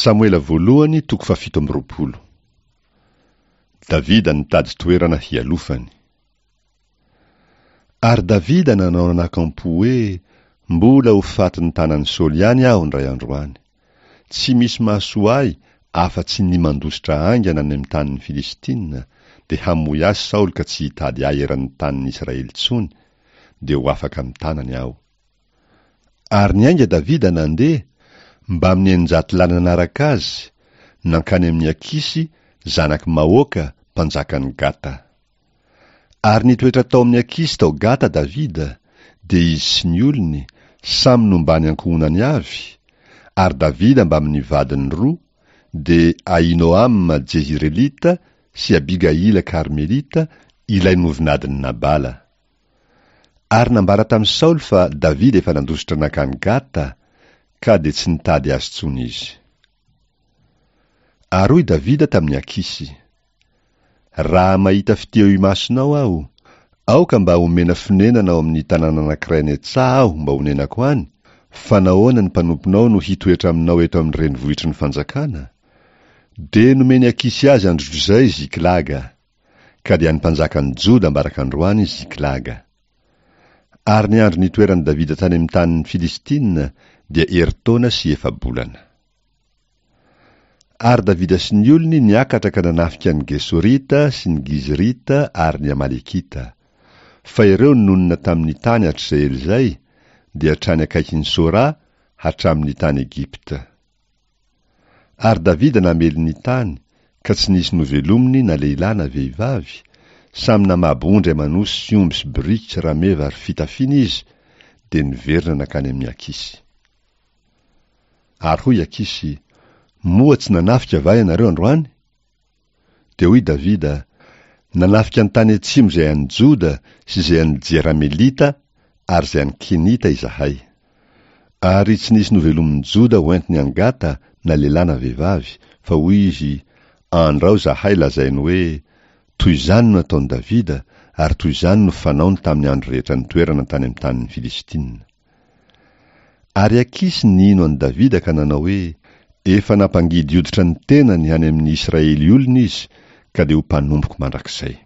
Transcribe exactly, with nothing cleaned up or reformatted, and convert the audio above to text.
Samoela voalohany toko fahafito amby roapolo. Davida nitady toerana hialofany. Ary Davida nanao anakampo hoe, mbola ho fatin'ny tanan'i Saoly ihany aho indray andro any. Tsy misy mahasoa ahy afa-tsy ny mandositra haingana any amin'ny tanin'ny Filistina, dia hamoy ahy Saoly ka tsy hitady ahy eran'ny tanin'ny Israely intsony, dia ho afaka amin'ny tanany aho. Ary niainga Davida nandeha, mbamin'ny eninjato lahy nanaraka azy, nankany amin'i Akisy, zanak'i Maoka, mpanjakan'i Gata. Ary nitoetra tao amin'i Akisy tao Gata Davida, dia izy sy ny olony, samy nombany ankohonany avy, ary Davida mbamin'ny vadiny roa, dia Ahinoama Jezirelita sy Abigaila Karmelita, ilay novinadin'i Nabala. Ary nambara tamin'i Saoly fa Davida efa nandositra nankany Gata, ka dia tsy nitady azy intsony izy. Ary hoy Davida tamin'i Akisy, Raha mahita fitia eo imasonao aho, aoka mba homena fonenana ao amin'ny tanàna anankiray any an-tsaha aho mba honenako any, fa nahoana ny mpanomponao no hitoetra aminao eto amin'ny renivohitry ny fanjakana? Dia nomen'i Akisy azy androtr'izay Ziklaga, ka dia an'ny mpanjakan'i Joda ambarak'androany Ziklaga. Ary ny andro nitoeran'i Davida tany amin'ny tanin'ny Filistina dia herintaona sy efa-bolana. Ary Davida sy ny olony niakatra ka nanafika ny Gesorita sy ny Gizrita ary ny Amalekita. Fa ireo nonina tamin'ny tany hatrizay ela izay, dia hatrany akaikin'i Sora, hatramin'ny tany Egypta. Ary Davida namely ny tany, ka tsy nisy novelominy na lehilahy na vehivavy, samy namabo ondry aman'osy sy omby sy boriky sy rameva ary fitafiana izy, dia niverina nankany amin'i Akisy. Ary hoy Akisy, Moa tsy nanafika va ianareo androany? Dia hoy Davida, Nanafika ny tany atsimo izay an'i Joda sy izay an'i Jeramelita ary izay an'i Kenita izahay. Ary tsy nisy novelomin'i Joda hoentiny any Gata na lehilahy na vehivavy, fa hoy izy, Andrao izahay lazainy hoe, Toy izany no nataon'i Davida, ary toy izany no fanaony tamin'ny andro rehetra nitoerana tany amin'ny tanin'ny Filistina. Ary Akisy nino an'i Davida ka nanao hoe, Efa nampangidy hoditra ny tenany any amin'ny Israely olona izy, ka dia ho mpanompoko mandrakizay.